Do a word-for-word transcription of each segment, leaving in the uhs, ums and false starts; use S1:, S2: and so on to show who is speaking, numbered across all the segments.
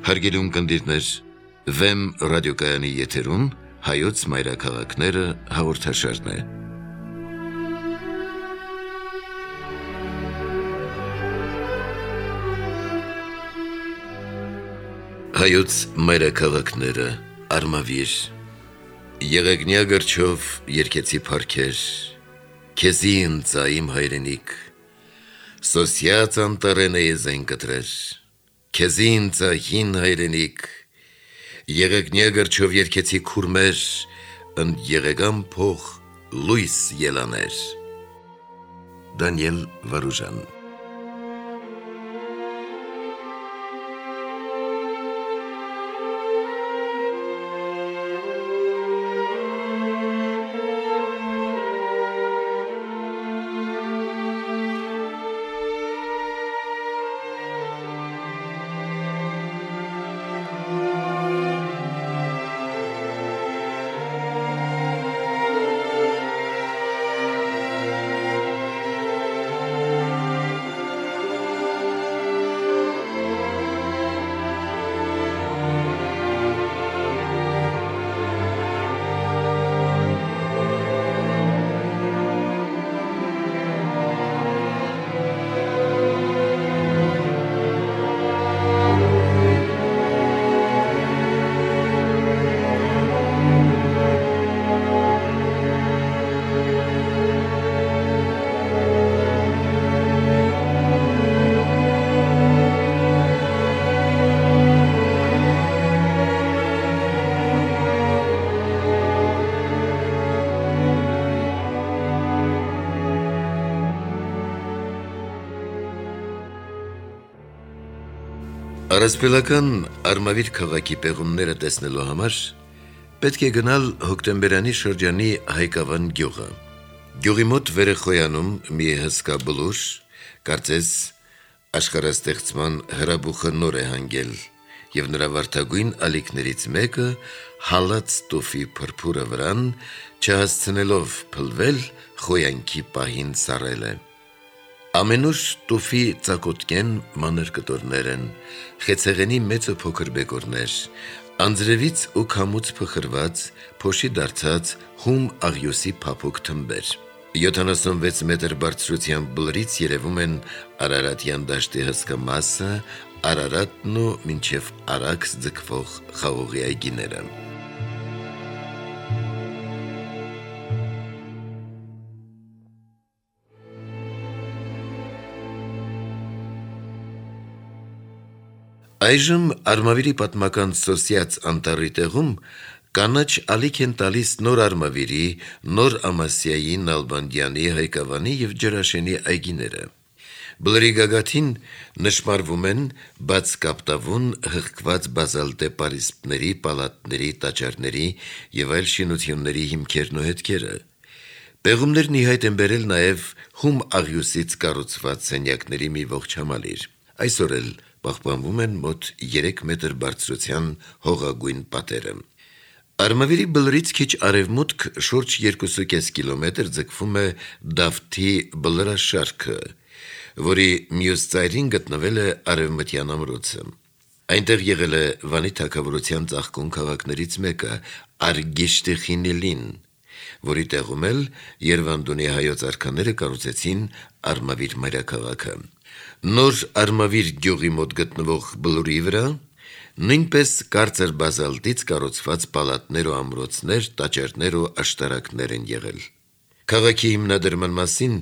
S1: Հարգելի ունկնդիրներ, Վեմ ռադիոկայանի եթերում հայոց մայրաքաղաքները հաղորդաշարն է։ Հայոց մայրաքաղաքները արմավիր, եղեգնյա գրչով երգեցի փառքեր, քեզի ընծա իմ հայրենիք, սոսյաց անտառեն է եզեն կտրեր, քեզի ընծա հին հայրենիք, եղեգնյա գրչով երգեցի քուրմեր, ընդ եղեգան փող լույս ելաներ։ Դանիել Վարուժան։ Առասպելական արմավիր քաղաքի պեղումները տեսնելու համար պետք է գնալ հոկտեմբերանի շրջանի Հայկավան գյուղը։ Գյուղի մոտ վերեխոյանում մի հսկա բլուր, կարծես աշխարհաստեղծման հրաբուխը նոր է հանգել, եւ նրա վարդագույն ալիքներից մեկը հալած տուֆի փրփուրը վրան, չհասցնելով փլվել, խոյանքի պահին սառել է։ Ամենուր տուֆի ծակոտկեն մանր կտորներ են, խեցեղենի մեծ ու փոքր բեկորներ, անձրևից ու քամուց փխրված, փոշի դարձած հում աղյուսի փափուկ թմբեր։ յոթանասունվեց մետր բարձրությամբ բլրից երևում են Արարատյան դաշտի հսկա մասը, Արարատն ու մինչև Արաքս ձգվող խաղողի այգիները։ Այժմ Արմավիրի պատմական սոսյաց անտառի տեղում կանաչ ալիք են տալիս նոր Արմավիրի, նոր Ամասիայի, Նալբանդյանի, Հայկավանի և Ջրաշենի այգիները։ Բլրի գագաթին նշմարվում են բաց կապտավուն հղկված բազալտե պարիսպների, պալատների, տաճարների և այլ շինությունների հիմքերն ու հետքերը։ Պեղումներն ի հայտ են բերել նաև հում աղյուսից կառուցված սենյակների մի ողջ համալիր։ Այսօր էլ պահպանվում են մոտ երեք մետր բարձրության հողագույն պատերը։ Արմավիրի բլրից քիչ արևմուտք շուրջ երկու կես կիլոմետր ձգվում է Դավթի բլրաշարքը, որի մյուս ծայրին գտնվել է Արևմտյան ամրոցը։ Այնտեղ եղել է Վանի թագավորության ծաղկուն քաղաքներից մեկը Արգիշտի Խինիլին, որի տեղում էլ Երվանդունի հայոց արքաները կառուցեցին Արմավիր մայրաքաղաքը։ Նոր Արմավիր գյուղի մոտ գտնվող բլուրի վրա նույնպես կարծր բազալտից կառուցված պալատներ ու ամրոցներ, տաճարներ ու աշտարակներ են եղել։ Քաղաքի հիմնադրման մասին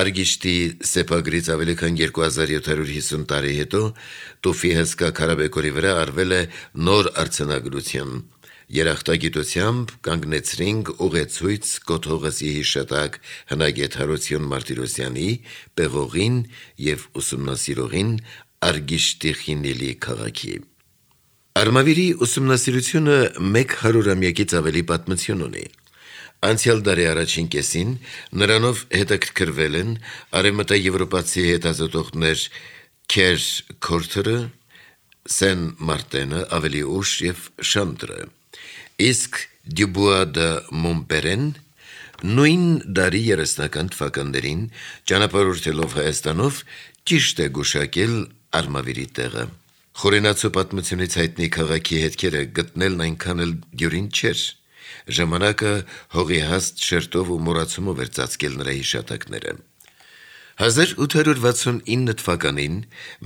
S1: Արգիշտի սեպագրից ավելի քան երկու հազար յոթ հարյուր հիսուն տարի հետո տուֆի հսկա քարաբեկորի վրա արվել է նոր արձանագրություն։ Երախտագիտությամբ կանգնեցրինք ուղեցույց Կոթողսի հիշատակ հնագետ Հարություն Մարտիրոսյանի, պեղողին և ուսումնասիրողին Արգիշտի Խինիլի քաղաքի։ Արմավիրի ուսումնասիրությունը մեկ հարյուրամյակից ավելի պատմություն ունի։ Անցյալ դարի առաջին կեսին նրանով հետաքրքրվել են արևմտաեվրոպացի հետազոտողներ Քեր Քորթերը, Սեն Մարտենը, ավելի ուշ և Շանտրը, իսկ Դյուբուա դը Մոնպերեն նույն դարի երեսնական թվականներին ճանապարհորդելով Հայաստանով ճիշտ է գուշակել Արմավիրի տեղը։ Խորենացու պատմությունից հայտնի քաղաքի հետքերը գտնելն այնքան էլ դյուրին չէր։ Ժամանակը հողի հաստ շերտով ու մոռացումով էր ծածկել նրա հիշատակները։ հազար ութ հարյուր վաթսունինը թվականին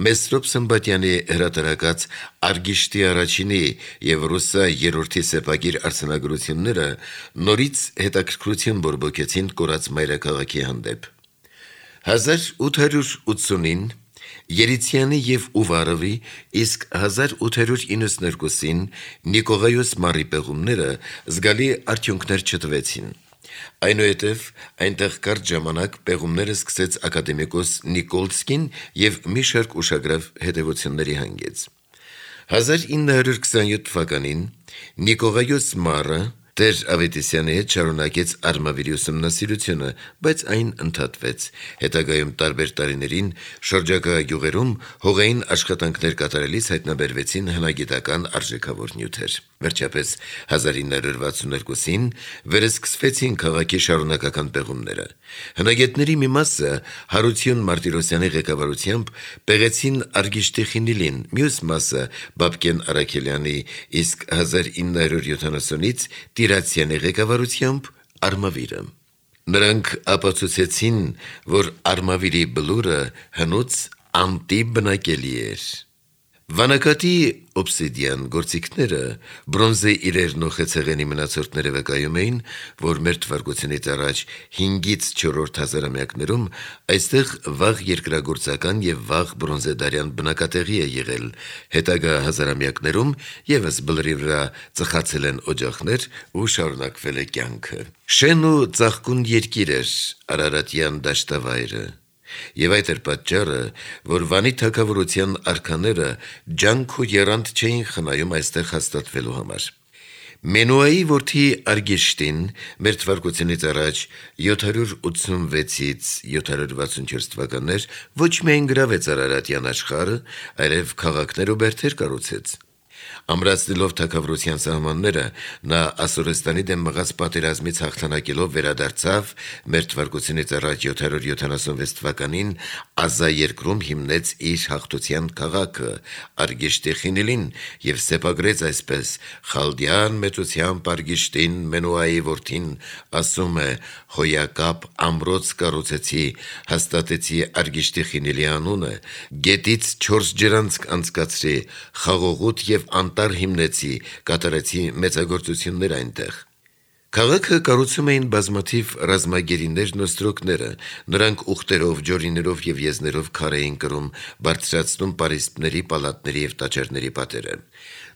S1: Մեսրոպ Սմբատյանի հրատարակած Արգիշտի առաջինի եւ Ռուսա երրորդի սեպագիր արձանագրությունները նորից հետաքրքրություն բորբոքեցին կորած մայրաքաղաքի հանդեպ։ հազար ութ հարյուր ութսունին Երիցյանի եւ Ուվարովի, իսկ հազար ութ հարյուր իննսունհինգին Նիկողայոս Մարի պեղումները զգալի արդյունքներ չտվեցին։ Այնուհետև այնտեղ կարճ ժամանակ պեղումները սկսեց ակադեմիկոս Նիկոլսկին եւ մի շարք ուշագրավ հետևությունների հանգեց։ հազար ինը հարյուր քսանյոթ թվականին Նիկողայոս Մարը Տեր Ավետիսյանի հետ շարունակեց արմավիրի ուսումնասիրությունը, բայց այն ընդհատվեց։ Հետագայում տարբեր տարիներին շրջակա գյուղերում հողային աշխատանքներ կատարելիս հայտնաբերվեցին հնագիտական արժեքավոր նյութեր։ Վերջապես հազար ինը հարյուր վաթսունհինգին վերսկսվեցին քաղաքի շարունակական պեղումները։ Հնագետների մի մասը Հարություն Մարտիրոսյանի ղեկավարությամբ պեղեցին Արգիշտի խինիլին, մյուս մասը Բաբկեն Արաքելյանի, իսկ հազար ինը հարյուր յոթանասունից Տիրացյանի ղեկավարությամբ Արմավիրը։ Նրանք ապացուցեցին, որ Արմավիրի բլուրը հնուց անտիբնակելի էր։ Վանակատի օբսիդիան գործիքները բրոնզե իրերն ու խեցեղենի մնացորդները վկայում էին, որ մեր թվարկությունից առաջ հինգից չորրորդ հազարամյակներում այստեղ վաղ երկրագործական եւ վաղ բրոնզեդարյան բնակատեղի է եղել։ Հետագա հազարամյակներում եւս բլրի վրա ծխացել են օջախներ ու շարունակվել է կյանքը։ Շեն ու ծաղկուն երկիր էր Արարատյան դաշտավայրը։ Եվ այդ էր պատճառը, որ Վանի թագավորության արքաները ջանք ու եռանդ չէին խնայում այստեղ հաստատվելու համար։ Մենուայի որդի Արգիշտին մեր թվարկությունից առաջ յոթ հարյուր ութսունվեցից յոթ հարյուր վաթսունչորս թվականներ ոչ միայն գրավեց Արարատյան աշխարհը, այլև քաղաքներ ու բերդեր կառուցեց։ Ամրացնելով թագավորության սահմանները, նա Ասորստանի դեմ մղած պատերազմից հաղթանակելով վերադարձավ մեր թվարկությունից առաջ յոթ հարյուր յոթանասունվեց թվականին Ազայերկրում հիմնեց իր հաղթության քաղաքը Արգիշտի խինիլին եւ սեպագրեց այսպես. «Խալդյան մեծությամբ Արգիշտին Մենուայի որդին ասում է. հոյակապ ամրոց կառուցեցի, հաստատեցի Արգիշտի խինիլի անունը, գետից չորս ջրանցք անցկացրի, խաղողուտ եւ անտառ հիմնեցի, կատարեցի մեծագործություններ այնտեղ»։ Քաղաքը կառուցում էին բազմաթիվ ռազմագերիներն ու ստրոկները, նրանք ուխտերով, ջորիներով եւ եզներով քար էին կրում, բարձրացնում պարիսպների, պալատների եւ տաճարների պատերը։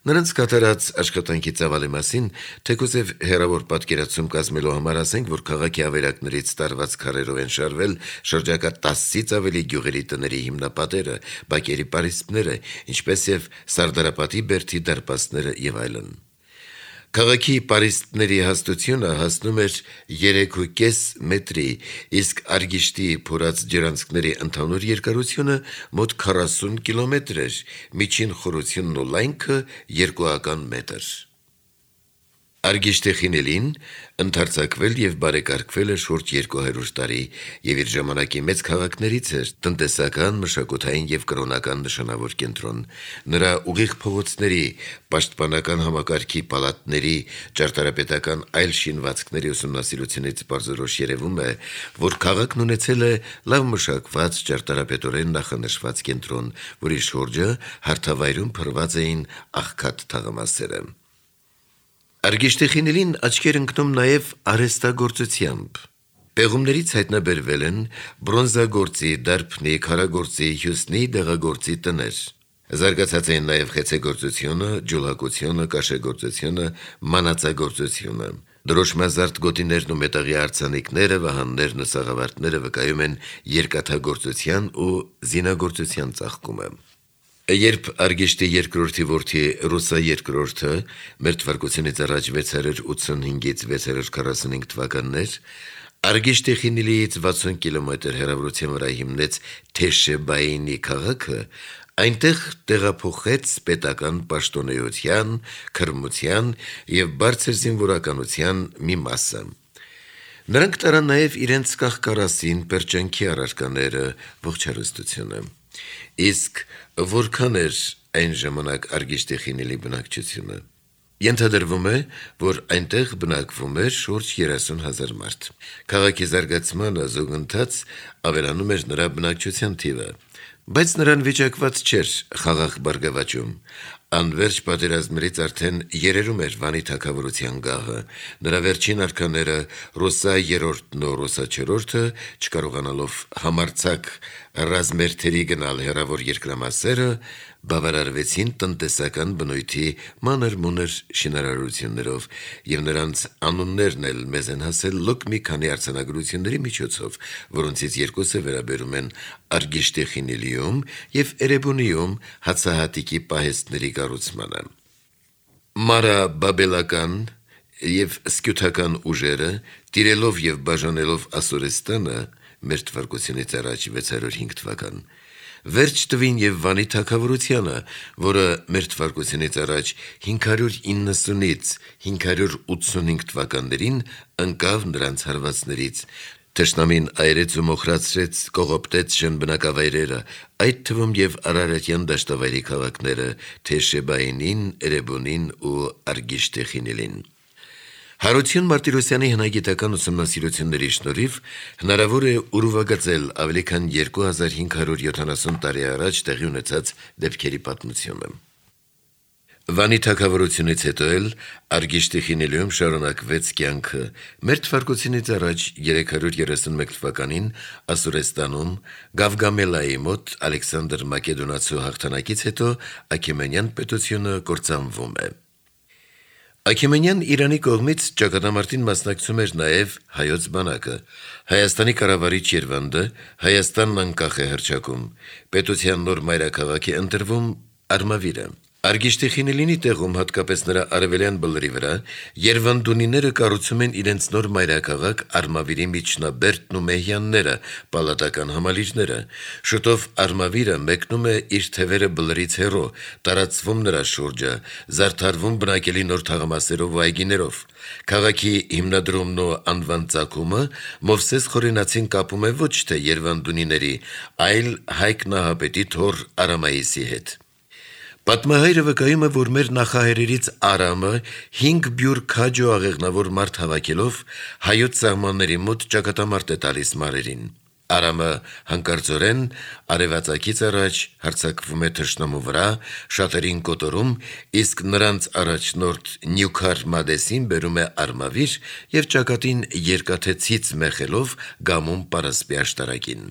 S1: Նրանց կատարած աշխատանքի ծավալի մասին թեկուզև հեռավոր պատկերացում կազմելու համար ասենք, որ քաղաքի ավերակներից տարված քարերով են շարվել շրջակա տասից ավելի գյուղերի տների հիմնապատերը, բակերի պարիսպները, ինչպես եւ Սարդարապատի բերդի դարպասները եւ այլն։ Քաղաքի պարիսպների հաստությունը հասնում էր երեքուկես մետրի, իսկ Արգիշտի փորած ջրանցքների ընդհանուր երկարությունը մոտ քառասուն կիլոմետր էր, միջին խորությունն ու լայնքը երկուական մետր։ Արգիշտի խինիլին ընդարձակվել եւ բարեկարգվել է շուրջ երկու հարյուր տարի եւ իր ժամանակի մեծ քաղաքներից էր, տնտեսական, մշակութային եւ կրոնական նշանավոր կենտրոն։ Նրա ուղիղ փողոցների, պաշտպանական համակարգի, պալատների, ճարտարապետական այլ շինվածքների ուսումնասիրությունից բարձրորոշ երևում է, որ քաղաքն ունեցել է լավ մշակված, ճարտարապետորեն նախանշված կենտրոն, որի շուրջը հարթավայրում փռված էին աղքատ թաղամասերը։ Արգիշտի խինիլին աչքեր ընկնում նաև արհեստագործությամբ։ Պեղումներից հայտնաբերվել են բրոնզագործի, դարբնի, քարագործի, հյուսնի, դեղագործի տներ։ Զարգացած էին նաև խեցեգործությունը, ջուլհակությունը, կաշեգործությունը, մանածագործությունը։ Դրոշմազարդ գոտիներն ու մետաղի արձանիկները, վահաններն ու սաղավարտները վկայում են երկաթագործության ու զինագործության ծաղկումը։ Երբ Արգիշտի երկրորդի որդի Ռուսա երկրորդը մեր թվարկությունից առաջ վեց հարյուր ութսունհինգից վեց հարյուր քառասունհինգ թվականներ Արգիշտի խինիլիից վաթսուն կիլոմետր հեռավորության վրա հիմնեց Թեշեբայինի քաղաքը, այնտեղ տեղափոխեց պետական պաշտոնեության, քրմության եւ բարձր զինվորականության մի մասը։ Նրանք տարան նաև իրենց կաղկարասին պերճանքի առարկաները, ողջ հարստությունը։ Իսկ որքան էր այն ժամանակ Արգիշտի խինելի բնակչությունը։ Ենթադրվում է, որ այնտեղ բնակվում էր շուրջ երեսուն հազար մարդ։ Քաղաքի զարգացմանը զուգընթաց ավելանում էր նրա բնակչության թիվը, բայց նրան վիճակված չէր խաղաղ բարգավաճում։ Անվերջ պատերազմներից արդեն երերում էր Վանի թագավորության գահը, նրա վերջին արքաները Ռուսա երրորդն ու Ռուսա չորրորդը, չկարողանալով համարձակ ռազմերթերի գնալ հեռավոր երկրամասերը, բավարարվեցին տնտեսական բնույթի մանր-մունր շինարարություններով, եւ նրանց անուններն էլ մեզ են հասել լոկ մի քանի արձանագրությունների միջոցով, որոնցից երկուսը վերաբերում են Արգիշտի խինելիում եւ Էրեբունիում հացահատիկի պահեստների կառուցմանը։ Մարաբաբելական եւ սկյութական ուժերը, տիրելով եւ բաժանելով Ասորեստանը մեր թվարկությունից առաջ վեցսուն հինգ թվական, վերջ տվին եւ Վանի թագավորությանը, որը մեր թվարկությունից առաջ հինգ հարյուր իննսունից հինգ հարյուր ութսունհինգ թվականներին ընկավ նրանց հարվածներից, թշնամին այրեց ու մոխրացրեց, կողոպտեց շնբնակավայրերը, այդ թվում եւ Արարատյան դաշտավայրի քաղաքները, Թեշեբայինին, Էրեբունին ու Արգիշտի խինելին։ Հարություն Մարտիրոսյանի հնագիտական ուսումնասիրությունների շնորհիվ հնարավոր է ուրվագծել ավելի քան երկու հազար հինգ հարյուր յոթանասուն տարի առաջ տեղի ունեցած դեպքերի պատմությունը։ Վանի թագավորությունից հետո էլ Արգիշտի խինելիում շարունակվեց կյանքը։ Մեր թվարկությունից առաջ երեք հարյուր երեսունմեկ թվականին Ասորեստանում Գավգամելայի մոտ Ալեքսանդր Մակեդոնացու հաղթանակից հետո Աքեմենյան պետությունը կործանվում է։ Աքեմենյան Իրանի կողմից ճակատամարտին մասնակցում էր նաև հայոց բանակը։ Հայաստանի կառավարիչ Երվանդը Հայաստանն անկախ է հռչակում։ Պետության նոր մայրաքաղաք է ընտրվում Արմավիրը։ Արգիշտի խինելինի տեղում, հատկապես նրա արևելյան բլրի վրա, երվանդունիները կառուցում են իրենց նոր մայրաքաղաք Արմավիրի միջնաբերդն ու մեհյանները, պալատական համալիրները։ Շուտով Արմավիրը մեկնում է իր թևերը բլրից հեռու, տարածվում նրա շուրջը, զարդարվում բնակելի նոր թաղամասերով ու այգիներով։ Քաղաքի հիմնադրումն ու անվան ծագումը Մովսես Խորենացին կապում է ոչ թե երվանդունիների, այլ Հայկ Նահապետի թոռ Արամայիսի հետ։ Պատմահայրը վկայում է, որ մեր նախահայրերից Արամը հինգ բյուր քաջ ու աղեղնավոր մարդ հավաքելով հայոց սահմանների մոտ ճակատամարտ է տալիս մարերին։ Արամը հանկարծորեն արևածագից առաջ հարձակվում է թշնամու վրա, շատերին կոտորում, իսկ նրանց առաջնորդ Նյուքար Մադեսին բերում է Արմավիր եւ ճակատին երկաթե ցից մեխելով գամում Պարասպի աշտարակին։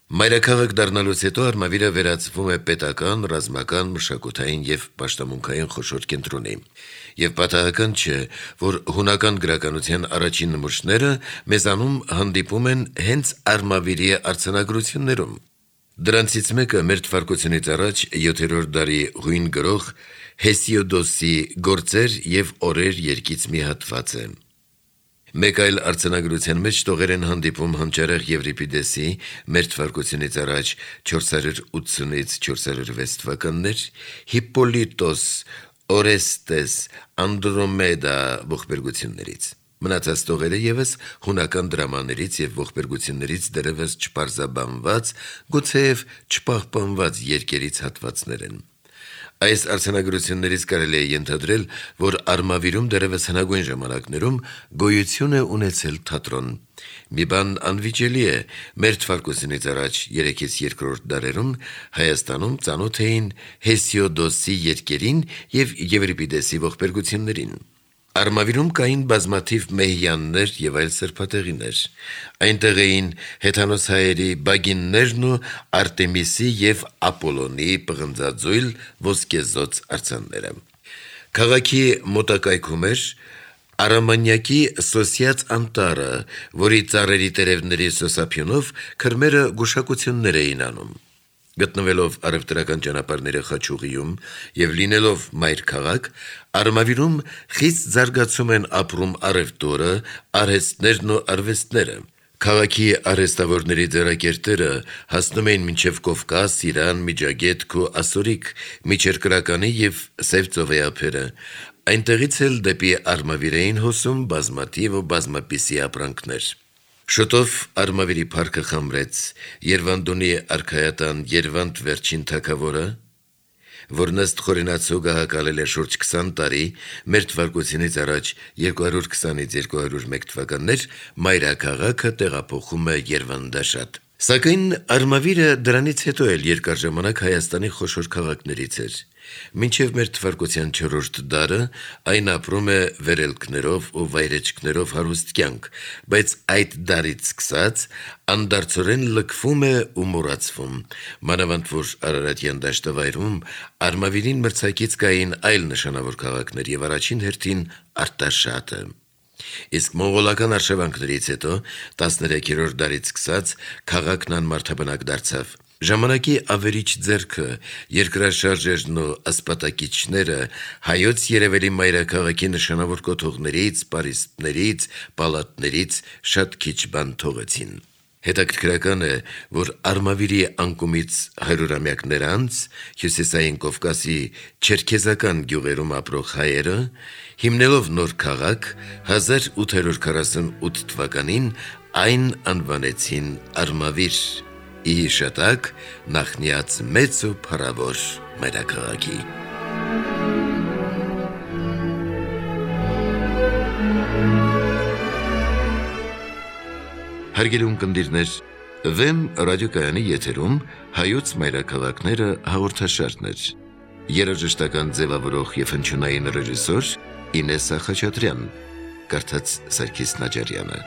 S1: Մայրաքաղաք դառնալուց հետո Արմավիրը վերածվում է պետական, ռազմական, մշակութային եւ պաշտամունքային խոշոր կենտրոնի։ Եվ պատահական չէ, որ հունական գրականության առաջին նմուշները մեզանում հանդիպում են հենց Արմավիրի արձանագրություններում։ Դրանցից մեկը մեր թվարկությունից առաջ յոթերորդ դարի հույն գրող Հեսիոդոսի «Գործեր եւ օրեր» երկից մի հատված է։ Մեկ այլ արձանագրության մեջ տողեր են հանդիպում հանճարեղ Եվրիպիդեսի մեր թվարկությունից առաջ չորս հարյուր ութսունից չորս հարյուր վեց թվականներ, Հիպպոլիտոս, Օրեստես, Անդրոմեդա ողբերգություններից։ Մնացած տողերը ևս հունական դրամաներից եւ ողբերգություններից դեռևս չպարզաբանված, գուցեև չպահպանված երկերից հատվածներ են։ Այս արձանագրություններից կարելի է ենթադրել, որ Արմավիրում դեռևս հնագույն ժամանակներում գոյություն է ունեցել թատրոն։ Մի բան անվիճելի է, մեր թվարկությունից առաջ երեքից երկրորդ դարերում Հայաստանում ծանոթ էին Հեսիոդոսի երկերին եւ Եվրիպիդեսի ողբերգություններին։ Արմավիրում կային բազմաթիվ մեհյաններ եւ այլ սրբատեղիներ։ Այնտեղ էին հեթանոսահայերի բագիններն ու Արտեմիսի եւ Ապոլոնի պղնձաձույլ ոսկեզոծ արձանները։ Քաղաքի մոտակայքում էր Արամանյակի Սոսյաց անտառը, որի ծառերի տերևների սոսափյունով քրմերը գուշակություններ էին անում։ Գտնվելով առևտրական ճանապարհների խաչուղիում եւ լինելով մայր քաղաք, Արմավիրում խիստ զարգացում են ապրում առևտուրը, արհեստներն ու արվեստները։ Քաղաքի արհեստավորների ձեռակերտերը հասնում էին մինչև Կովկաս, Իրան, Միջագետք ու Ասորիկ, Միջերկրականի եւ Սև ծովի ափերը։ Այնտեղից էլ դեպի Արմավիր էին հոսում բազմաթիվ ու բազմապիսի ապրանքներ։ Շուտով Արմավիրի փառքը խամրեց Երվանդունի արքայատան Երվանդ վերջին թագավորը, որն ըստ խորենացու գահակալել է շուրջ քսան տարի, մեր թվարկությունից առաջ երկու հարյուր քսանից երկու հարյուր մեկ թվականներ, մայրաքաղաքը տեղափոխում է Երվանդաշատ։ Սակայն Արմավիրը դրանից հետո էլ երկար ժամանակ Հայաստանի խոշոր քաղաքներից էր։ Մինչև մեր թվարկության չորրորդ դարը այն ապրում է վերելքներով ու վայրեջքներով հարուստ կյանք, բայց այդ դարից սկսած անդարձորեն լքվում է ու մոռացվում, մանավանդ որ Արարատյան դաշտավայրում Արմավիրին մրցակից կային այլ նշանավոր քաղաքներ եւ առաջին հերթին Արտաշատը։ Իսկ մոնղոլական արշավանքներից հետո տասներեքերորդ դարից սկսած քաղաքն անմարդաբնակ դարձավ։ Ժամանակի ավերիչ ձեռքը, երկրաշարժերն ու ասպատակիչները հայոց երևելի մայրաքաղաքի նշանավոր կոթողներից, պարիսպներից, պալատներից շատ քիչ բան թողեցին։ Հետաքրքրական է, որ Արմավիրի անկումից հարյուրամյակներ անց Հյուսիսային Կովկասի չերքեզական գյուղերում ապրող հայերը, հիմնելով նոր քաղաք, հազար ութ հարյուր քառասունութ թվականին այն անվանեցին Արմավիր, ի հիշատակ նախնյաց մեծ ու փառավոր մայրաքաղաքի։ Հարգելի ունկնդիրներ, Վեմ ռադիոկայանի եթերում հայոց մայրաքաղաքները հաղորդաշարն էր։ Երաժշտական ձևավորող եւ հնչյունային ռեժիսոր Ինեսա Խաչատրյան, կարդաց Սարգիս Նաջարյանը։